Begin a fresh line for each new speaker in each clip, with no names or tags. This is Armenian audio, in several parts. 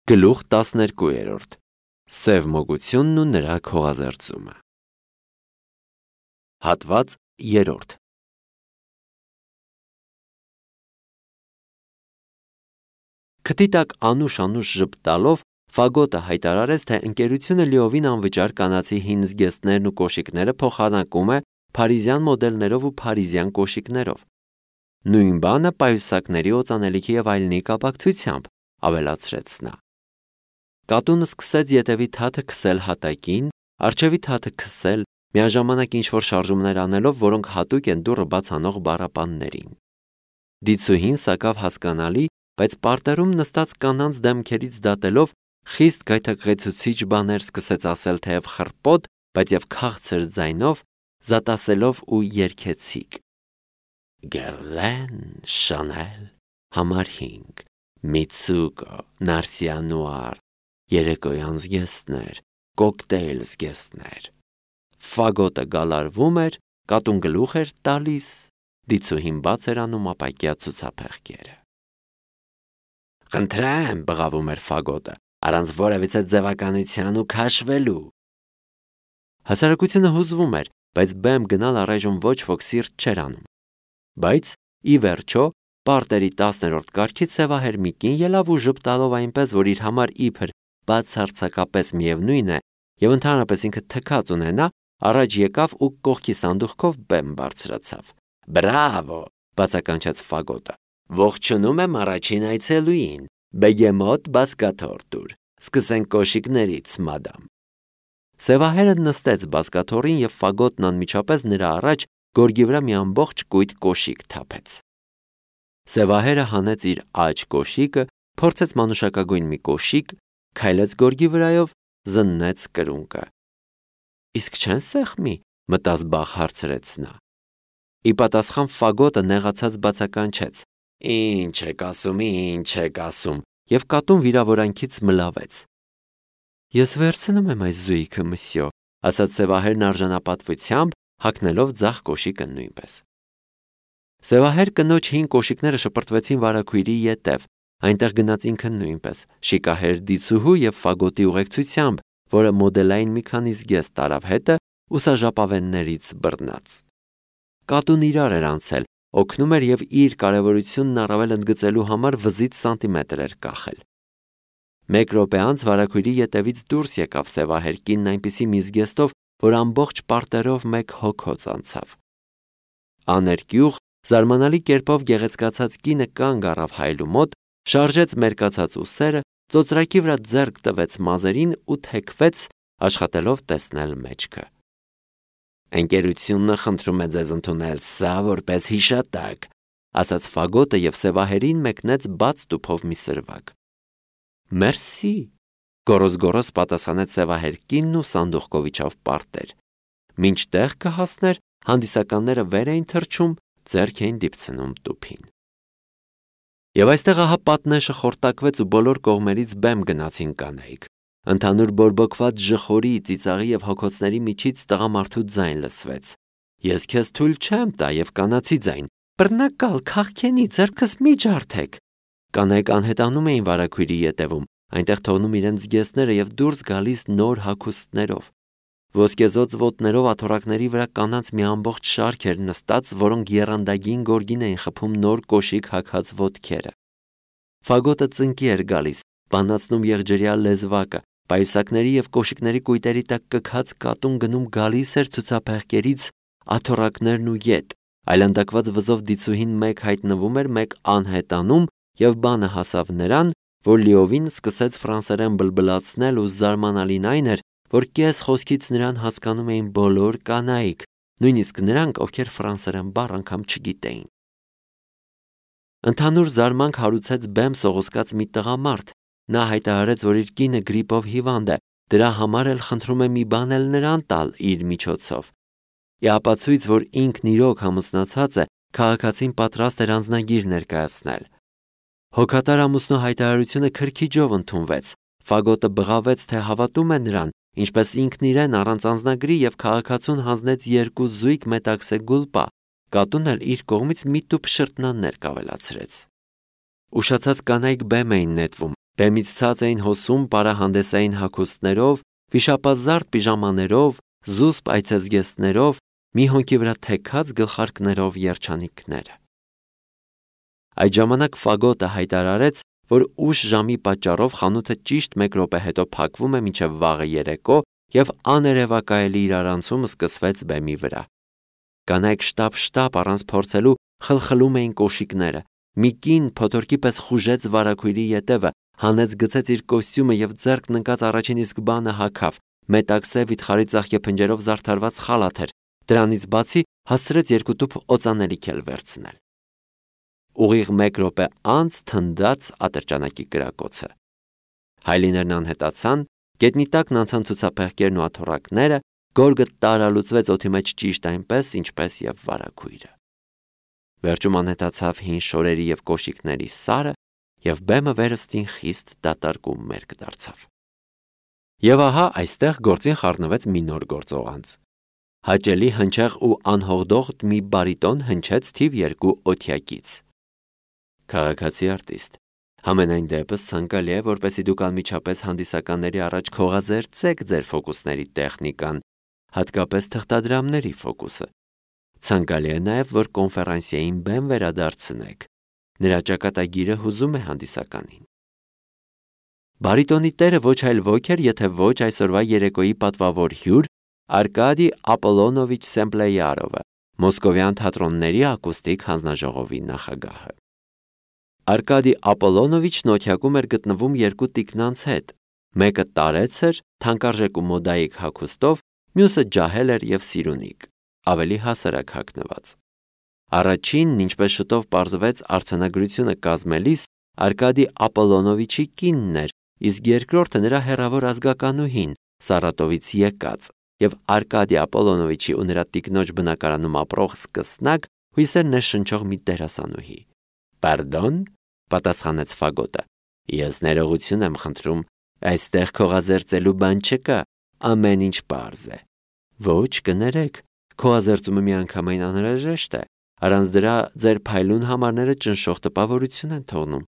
Գլուխ 12. Սև մոգությունն ու նրա քողազերծումը։ Հատված 3. Քթի տակ անուշ ժպտալով Ֆագոտը հայտարարեց, թե ընկերությունը լիովին անվճար կանացի հին զգեստներն ու կոշիկները փոխանակում է փարիզյան մոդելներով ու փարիզյան կոշիկներով։ Նույն բանը պայուսակների, օծանելիքի եւ այլնի կապակցությամբ, ավելացրեց նա։ Կատունը սկսեց ետևի թաթը քսել հատակին, առջևի թաթը քսել, միաժամանակ ինչ-որ շարժումներ անելով, որոնք հատուկ են դուռը բաց անող բառապաններին։ Դիցուհին սակավ հասկանալի, բայց պարտերում նստած կանանց դեմքերից դատելով խիստ գայթակղեցուցիչ բաներ սկսեց ասել թեև խռպոտ, բայց եւ քաղցր ձայնով, զատասելով ու երգեցիկ։ Գերլեն, Շանել, համար 5, Միցուկո, Նարսիանուար, երեկոյան զգեստներ, կոկտեյլ զգեստներ։ Ֆագոտը գալարվում էր, կատուն գլուխ էր տալիս, դիցուհին բաց էր անում ապակյա ցուցափեղկերը։ Խնդրեմ, բղավում էր Ֆագոտը, առանց որևիցե ձևականության ու քաշվելու։ Հասարակությունը հուզվում էր, բայց բեմ գնալ առայժմ ոչ ոք սիրտ չէր անում։ Բայց ի վերջո պարտերի 10-րդ կարգից սևահեր մի կին ելավ ու ժպտալով այնպես, որ իր համար իբր բացարձակապես միևնույն է եւ ընդհանրապես ինքը թքած ունենա, առաջ եկավ ու կողքի սանդուղքով բեմ բարձրացավ։ Բրավո, բացականչեց Ֆագոտը։ Ողջունում եմ առաջին այցելուին, բեգեմոտ բասկաթորտուր։ Սկսենք կոշիկներից, մադամ։ Սևահերը նստեց բասկաթորին եւ Ֆագոտն անմիջապես նրա առաջ գորգի վրա մի ամբողջ կույտ կոշիկ թափեց։ Սևահերը հանեց իր աջ կոշիկը, փորձեց մանուշակագույն մի կոշիկ, քայլեց գորգի վրայով, զննեց կրունկը։ Իսկ չեն սեղմի, մտած բախ հարցրեց նա։ Ի պատասխան Ֆագոտը նեղացած բացականչեց. Ինչ եք ասում, եւ կատուն վիրավորանքից մլավեց։ Ես վերցնում եմ այս զույգը, մսյո, ասաց Սևահերն արժանապատվությամբ, հագնելով ձախ կոշիկը նույնպես։ Սևահեր կնոջ հին կոշիկները շպրտվեցին վարագույրի ետև, այնտեղ գնաց ինքը նույնպես, շիկահեր դիցուհու եւ Ֆագոտի ուղեկցությամբ, որը մոդելային մի քանի զգեստ տարավ հետը ուսաժապավեններից բռնած։ Կատուն իրար էր անցել, օգնում էր եւ իր կարեւորությունն առավել ընդգծելու համար վզից սանտիմետր էր կախել։ Մեկ րոպե անց վարագույրի ետևից դուրս եկավ Սևահեր կինն այնպիսի մի զգեստով, որ ամբողջ պարտերով մեկ հոգոց անցավ։ Աներկյուղ, զարմանալի կերպով գեղեցկացած կինը կանգ առավ հայելու մոտ, շարժեց մերկացած ուսերը, ծոծրակի վրա ձեռք տվեց մազերին ու թեքվեց, աշխատելով տեսնել մեջքը։ Ընկերությունը խնդրում է ձեզ ընդունել սա որպես հիշատակ, ասաց Ֆագոտը եւ Սևահերին մեկնեց բաց տուփով մի սրվակ։ Մերսի, գոռոզ պատասխանեց Սևահեր կինն ու սանդուղքով իջավ պարտեր։ Մինչ տեղ կհասներ, հանդիսականները վեր էին թռչում, ձեռք էին դիպցնում տուփին։ Եվ այստեղ ահա պատնեշը խորտակվեց ու բոլոր կողմերից բեմ գնացին կանայք։ Ընդհանուր բորբոքված ժխորի, ծիծաղի եւ հոգոցների միջից տղամարդու ձայն լսվեց։ Ես քեզ թույլ չեմ տա եւ կանացի ձայն։ Բռնակալ, քաղքենի, ձեռքս մի ջարդեք։ Կանայք անհետանում էին վարագույրի ետևում, այնտեղ թողնում իրենց զգեստները եւ դուրս գալիս նոր հագուստներով։ Ոսկեզոծ ոտներով աթոռակների վրա կանանց մի ամբողջ շարք էր նստած, որոնք եռանդագին գորգին էին խփում նոր կոշիկ հագած ոտքերը։ Ֆագոտը ծնկի էր գալիս, բանացնում եղջերյա լեզվակը, պայուսակների եւ կոշիկների կույտերի տակ կքած կատուն գնում գալիս էր ցուցափեղկերից աթոռակներն ու ետ, այլանդակված վզով դիցուհին մեկ հայտնվում էր, մեկ անհետանում, եւ բանը հասավ նրան, որ լիովին սկսեց ֆրանսերեն բլբլացնել ու զարմանալին այն էր, որ կես խոսքից նրան հասկանում էին բոլոր կանայք, նույնիսկ նրանք, ովքեր ֆրանսերեն բառ անգամ չգիտեին։ Ընդհանուր զարմանք հարուցեց բեմ սողոսկած մի տղամարդ։ Նա հայտարարեց, որ իր կինը գրիպով հիվանդ է, դրա համար էլ խնդրում է մի բան էլ նրան տալ իր միջոցով։ Ի ապացույց, որ ինքն իրոք համոզնացած է, քաղաքացին պատրաստ էր անձնագիր ներկայացնել։ Հոգատար ամուսնու հայտարարությունը քրքիջով ընդունվեց։ Ֆագոտը բղավեց, թե հավատում է նրան, ինչպես ինքն իրեն առանց անձնագրի եւ քաղաքացուն հանձնեց 2 զույգ մետաքսե գուլպա, կատուն էլ իր կողմից մի տուփ շրտնաններ կավելացրեց։ Ուշացած կանայք բեմ էին նետվում, Բեմից ցած էին հոսում պարահանդեսային հագուստներով, վիշապազարդ պիժամաներով, զուսպ այցեզգեստներով, մի հոնքի վրա թեքած գլխարկներով երջանիկները։ Այդ ժամանակ Ֆագոտը հայտարարեց, որ ուշ ժամի պատճառով խանութը ճիշտ 1 րոպե հետո փակվում է մինչև վաղը երեկո և աներևակայելի իրարանցում սկսվեց բեմի վրա։ Կանայք շտապ առանց փորձելու խլխլում էին կոշիկները։ Մի կին փոթորկի պես խուժեց վարագույրի ետևը, հանեց գցեց իր կոստյումը և ձեռքն ընկած առաջին իսկ բանը հագավ։ Մետաքսե վիթխարի ծաղկեփնջերով զարդարված խալաթ էր։ Դրանից բացի հասցրեց 2 տուփ օծանելիք էլ վերցնել։ Ուղիղ 1 րոպե անց թնդաց ատրճանակի կրակոցը։ Հայլիներն անհետացան, գետնի տակն անցան ցուցափեղկերն ու աթոռակները, գորգը տարալուծվեց օդի մեջ ճիշտ այնպես, ինչպես և վարագույրը։ Վերջում անհետացավ հին շորերի և կոշիկների սարը, և բեմը վերստին խիստ դատարկ ու մերկ դարձավ։ Եվ ահա այստեղ գործին խառնվեց մի նոր գործողանց։ Հաճելի, հնչեղ ու անհողդող մի բարիտոն հնչեց թիվ 2 օթյակից։ Քաղաքացի արտիստ, համենայն դեպս ցանկալի է, որպեսզի դուք անմիջապես հանդիսականների առաջ քողազերծեք ձեր ֆոկուսների տեխնիկան, հատկապես թղթադրամների ֆոկուսը։ Ցանկալի է նաև, որ կոնֆերանսիային բեմ վերադարձնեք։ Նրա ճակատագիրը հուզում է հանդիսականին։ Բարիտոնի տերը ոչ այլ ոք էր, եթե ոչ այսօրվա երեկոյի պատվավոր հյուր Արկադի Ապոլոնովիչ Սեմպլեյարովը, Մոսկովյան թատրոնների ակուստիկ հանձնաժողովի նախագահը։ Արկադի Ապոլոնովիչն օթյակում էր գտնվում 2 տիկնանց հետ։ Մեկը տարեց էր, թանկարժեք ու մոդայիկ հագուստով, մյուսը ջահել էր և սիրունիկ, ավելի հասարակ հագնված։ Առաջինն, ինչպես շուտով պարզվեց արձանագրությունը կազմելիս, Արկադի Ապոլոնովիչի կինն էր, իսկ երկրորդը նրա հեռավոր ազգականուհին, Սարատովից եկած, և Արկադի Ապոլոնովիչի ու նրա տիկնոջ բնակարանում ապրող սկսնակ հույսեր ներշնչող մի դերասանուհի։ «Պարդոն», պատասխանեց Ֆագոտը, ես ներողություն եմ խնդրում, այստեղ քողազերծելու բան չկա, ամեն ինչ պարզ է։ Ոչ, կներեք, քողազերծումը միանգամայն անհրաժեշտ է, առանց դրա ձեր փայլուն համարները ճնշող տպավորություն են թողնում,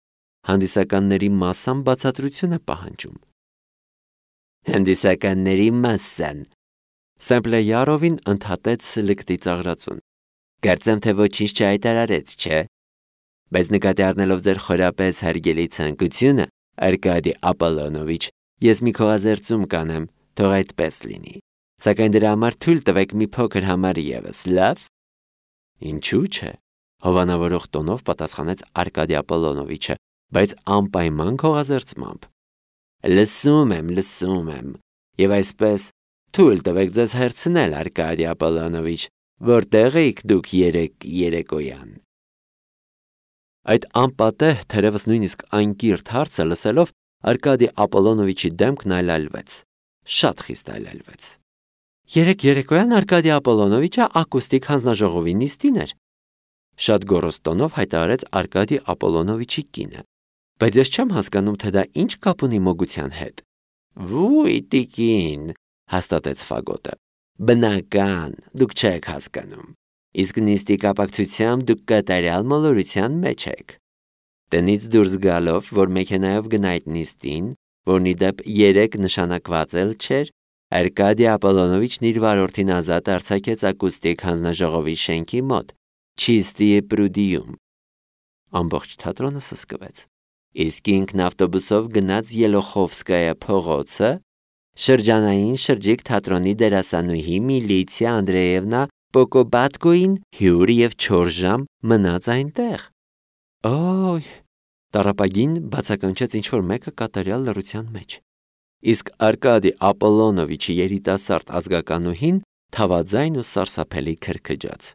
հանդիսականների մասսան բացատրություն է պահանջում։ Հանդիսականների մասսան, Սեմպլեյարովին ընդհատեց լկտի ծաղրածուն։ Կարծեմ, թե ոչինչ չհայտարարեց, չէ։ Բայց նկատի առնելով ձեր խորապես հարգելի ցանկությունը, Արկադի Ապոլոնովիչ, ես մի քողազերծում կանեմ, թող այդպես լինի։ Սակայն դրա համար թույլ տվեք մի փոքր համար ևս, լավ։ Ինչու՞ չէ, հովանավորող տոնով պատասխանեց Արկադի Ապոլոնովիչը, բայց անպայման քողազերծմամբ։ Լսում եմ, եւ այսպես թույլ տվեք ձեզ հերցնել, Արկադի Ապոլոնովիչ, որտեղ էիք դուք երեկոյան։ Այդ անպատեհ, թերևս նույնիսկ անկիրթ հարցը լսելով, Արկադի Ապոլոնովիչի դեմքն այլայլվեց, շատ խիստ այլայլվեց։ Երեկոյան Արկադի Ապոլոնովիչը ակուստիկ հանձնաժողովի նիստին էր, շատ գոռոզ տոնով հայտարարեց Արկադի Ապոլոնովիչի կինը, բայց ես չեմ հասկանում, թե դա ինչ կապ ունի մոգության հետ։ Վույ, տիկին, հաստատեց Ֆագոտը, բնական, դուք չեք հասկանում, իսկ նիստի կապակցությամբ դուք կատարյալ մոլորության մեջ եք։ Տնից դուրս գալով, որ մեքենայով գնա այդ նիստին, որն ի դեպ 3 նշանակված էլ չէր, Արկադի Ապոլոնովիչն իր վարորդին ազատ արձակեց ակուստիկ հանձնաժողովի շենքի մոտ, Չիստիե Պրուդիում։ Ամբողջ թատրոնը սսկվեց։ Իսկ ինքն ավտոբուսով գնաց Ելոխովսկայա փողոցը, շրջանային շրջիկ թատրոնի դերասանուհի Միլիցիա Անդրեևնա Պոկոբատկոին հյուր և 4 ժամ մնաց այնտեղ։ Օյ, տառապագին բացականչեց ինչ-որ մեկը կատարյալ լռության մեջ։ Իսկ Արկադի Ապոլոնովիչի երիտասարդ ազգականուհին թավաձայն ու սարսափելի քրքջաց։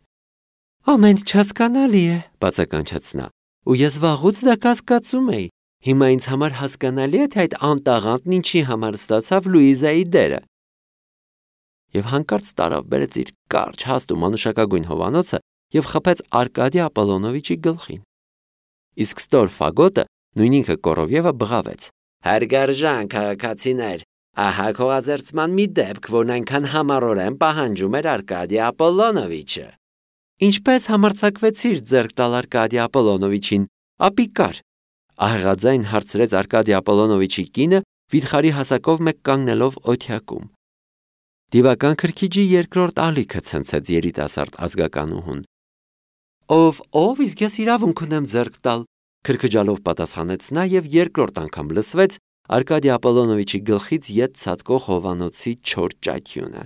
Ամեն ինչ հասկանալի է, բացականչեց նա, ու ես վաղուց դա կասկածում էի։ Հիմա ինձ համար հասկանալի է, թե այդ անտաղանդն ինչի համար ստացավ Լուիզայի դերը։ Եվ հանկարծ տարավ բերեց իր կարճ հաստ ու մանուշակագույն հովանոցը և խփեց Արկադի Ապոլոնովիչի գլխին։ Իսկ ստոր Ֆագոտը նույն ինքը Կորովյևը բղավեց. Հարգարժան քաղաքացիներ, ահա քողազերծման մի դեպք, որն այնքան համառորեն պահանջում էր Արկադի Ապոլոնովիչը։ Ինչպես համարձակվեցիր ձեռք տալ Արկադի Ապոլոնովիչին, ապիկար, ահեղաձայն հարցրեց Արկադի Ապոլոնովիչի կինը, վիթխարի հասակով մեկ կանգնելով օթյակում։ Դիվական քրքիջի երկրորդ ալիքը ցնցեց երիտասարդ ազգականուհուն։ Ով, իսկ ես իրավունք ունեմ ձեռք տալ, քրքջալով պատասխանեց նա եւ երկրորդ անգամ լսվեց Արկադի Ապոլոնովիչի գլխից ետ ցատկող հովանոցի չոր ճայթյունը։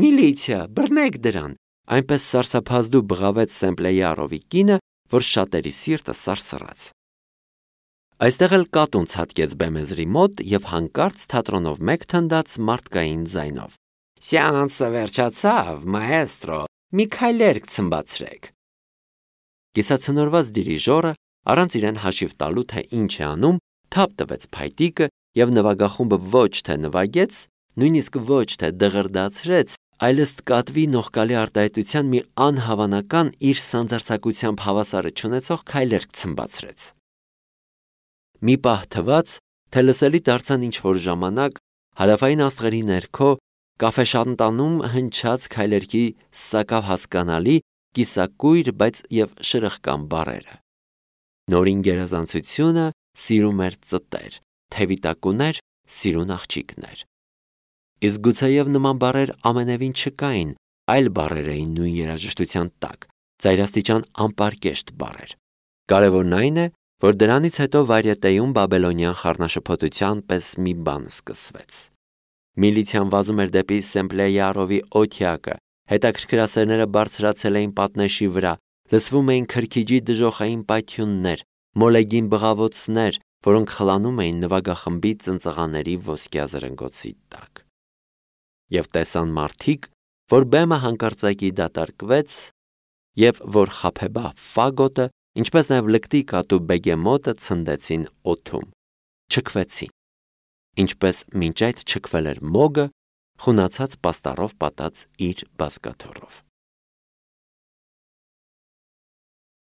Միլիցիա, բռնեք դրան, այնպես սարսափազդու բղավեց Սեմպլեյարովի կինը, որ շատերի սիրտը սարսռաց։ Այստեղ էլ կատուն ցատկեց բեմեզրի մոտ եւ հանկարծ թատրոնով մեկ թնդաց մարդկային ձայնով. Սեանսը վերջացավ, մաեստրո, մի քայլերկ ցմբացրեք։ Կիսացնորված դիրիժորը առանց իրեն հաշիվ տալու թե ինչ է անում, թափ տվեց փայտիկը եւ նվագախումբը ոչ թե նվագեց, նույնիսկ ոչ թե դղրդացրեց, այլ ըստ կատվի նողկալի արտահայտության մի անհավանական իր սանձարձակությամբ հավասարը չունեցող քայլերկ ցմբացրեց։ Մի պահ թվաց, թե լսելի դարձան ինչ-որ ժամանակ հարավային աստղերի ներքո կաֆեշանտանում հնչած քայլերքի սակավ հասկանալի, կիսակույր, բայց եւ շրխկան բառերը։ Նորին գերազանցությունը սիրում էր ծտեր, թևիտակուներ, սիրուն աղջիկներ։ Իսկ գուցեև նման բառեր ամենևին չկային, այլ բառեր էին նույն երաժշտության տակ, ծայրաստիճան անպարկեշտ բառեր։ Կարևորն այն է, որ դրանից հետո վարյետեյում բաբելոնյան խառնաշփոթության պես մի բան սկսվեց։ Միլիցիան վազում էր դեպի Սեմպլեյարովի օթյակը, հետաքրքրասերները բարձրացել էին պատնեշի վրա, լսվում էին քրքիջի դժոխային պայթյուններ, մոլեգին բղավոցներ, որոնք խլանում էին նվագախմբի ծնծղաների ոսկյա զրնգոցի տակ։ Եվ տեսան մարդիկ, որ բեմը հանկարծակի դատարկվեց, եւ որ խաբեբա ֆագոտը, ինչպես նաև լկտի կատու բեգեմոտը ցնդեցին օդում, չքվեցին, ինչպես մինչ այդ չքվել էր մոգը, խունացած պաստառով պատած իր բազկաթոռով։